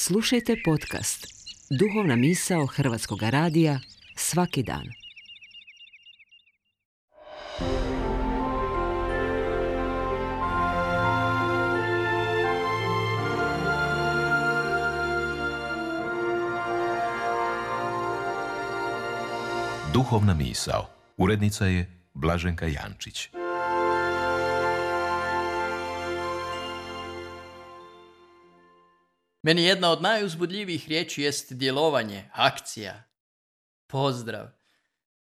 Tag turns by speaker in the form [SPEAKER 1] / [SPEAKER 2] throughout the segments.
[SPEAKER 1] Slušajte podcast Duhovna misao Hrvatskog radija svaki dan.
[SPEAKER 2] Duhovna misao. Urednica je Blaženka Jančić.
[SPEAKER 3] Meni jedna od najuzbudljivijih riječi jest djelovanje, akcija. Pozdrav.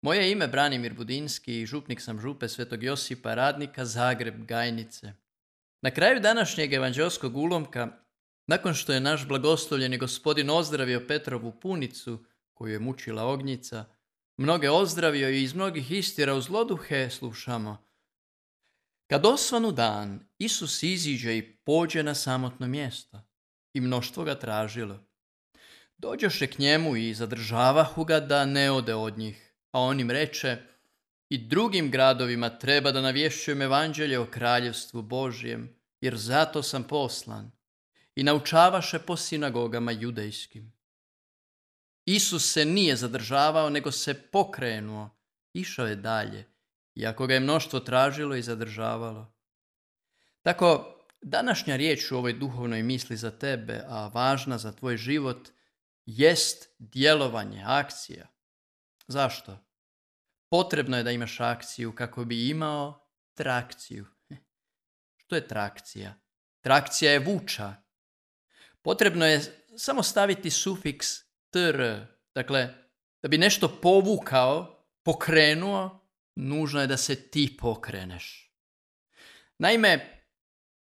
[SPEAKER 3] Moje je ime Branimir Budinski i župnik sam župe Svetog Josipa Radnika, Zagreb, Gajnice. Na kraju današnjeg evanđelskog ulomka, nakon što je naš blagoslovljeni gospodin ozdravio Petrovu punicu, koju je mučila ognjica, mnoge ozdravio i iz mnogih istjerao zloduhe, slušamo. Kad osvanu dan, Isus iziđe i pođe na samotno mjesto. I mnoštvo ga tražilo. Dođoše k njemu i zadržavahu ga da ne ode od njih, a on im reče, i drugim gradovima treba da navješćujem evanđelje o kraljevstvu Božjem, jer zato sam poslan. I naučavaše po sinagogama judejskim. Isus se nije zadržavao, nego se pokrenuo, išao je dalje, iako ga je mnoštvo tražilo i zadržavalo. Tako, današnja riječ u ovoj duhovnoj misli za tebe, a važna za tvoj život, jest djelovanje, akcija. Zašto? Potrebno je da imaš akciju kako bi imao trakciju. Što je trakcija? Trakcija je vuča. Potrebno je samo staviti sufiks tr. Dakle, da bi nešto povukao, pokrenuo, nužno je da se ti pokreneš. Naime,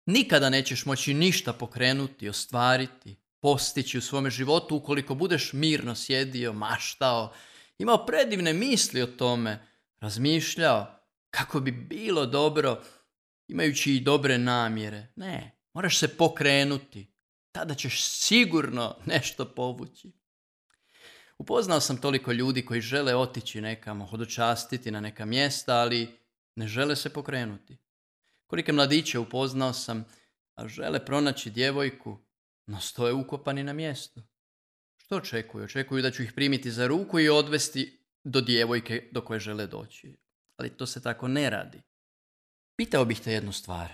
[SPEAKER 3] nikada nećeš moći ništa pokrenuti, ostvariti, postići u svome životu ukoliko budeš mirno sjedio, maštao, imao predivne misli o tome, razmišljao kako bi bilo dobro, imajući i dobre namjere. Ne, moraš se pokrenuti, tada ćeš sigurno nešto povući. Upoznao sam toliko ljudi koji žele otići nekamo, hodočastiti na neka mjesta, ali ne žele se pokrenuti. Kolike mladiće upoznao sam, a žele pronaći djevojku, no stoje ukopani na mjestu. Što očekuju? Očekuju da ću ih primiti za ruku i odvesti do djevojke do koje žele doći. Ali to se tako ne radi. Pitao bih te jednu stvar.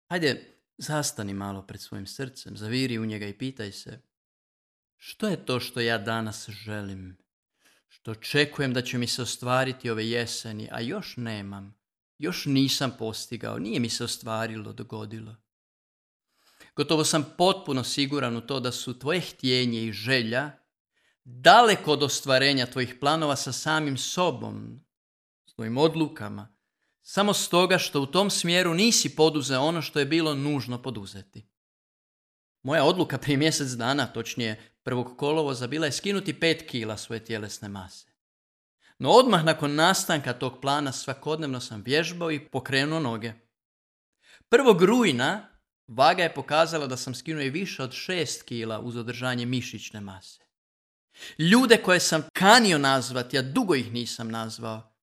[SPEAKER 3] Hajde, zastani malo pred svojim srcem, zaviri u njega i pitaj se, što je to što ja danas želim? Što očekujem da će mi se ostvariti ove jeseni, a još nemam? Još nisam postigao, nije mi se ostvarilo, dogodilo. Gotovo sam potpuno siguran u to da su tvoje htjenje i želja daleko od ostvarenja tvojih planova sa samim sobom, s tvojim odlukama, samo stoga što u tom smjeru nisi poduzeo ono što je bilo nužno poduzeti. Moja odluka prije mjesec dana, točnije 1. kolovoza, bila je skinuti 5 kila svoje tjelesne mase. No odmah nakon nastanka tog plana svakodnevno sam vježbao i pokrenuo noge. 1. rujna vaga je pokazala da sam skinuo i više od 6 kila uz održanje mišićne mase. Ljude koje sam kanio nazvati, a dugo ih nisam nazvao,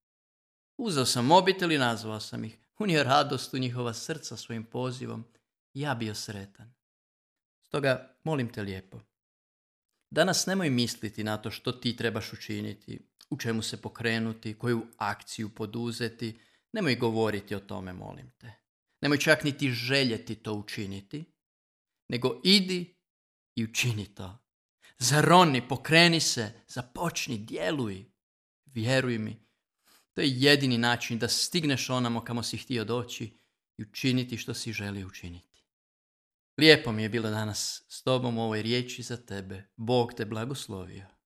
[SPEAKER 3] uzeo sam mobitel i nazvao sam ih. Unio radost u njihova srca svojim pozivom. Ja bio sretan. Stoga molim te lijepo, danas nemoj misliti na to što ti trebaš učiniti, u čemu se pokrenuti, koju akciju poduzeti. Nemoj govoriti o tome, molim te. Nemoj čak niti željeti to učiniti, nego idi i učini to. Zaroni, pokreni se, započni, djeluj. Vjeruj mi, to je jedini način da stigneš onamo kamo si htio doći i učiniti što si želio učiniti. Lijepo mi je bilo danas s tobom u ovoj riječi za tebe. Bog te blagoslovio.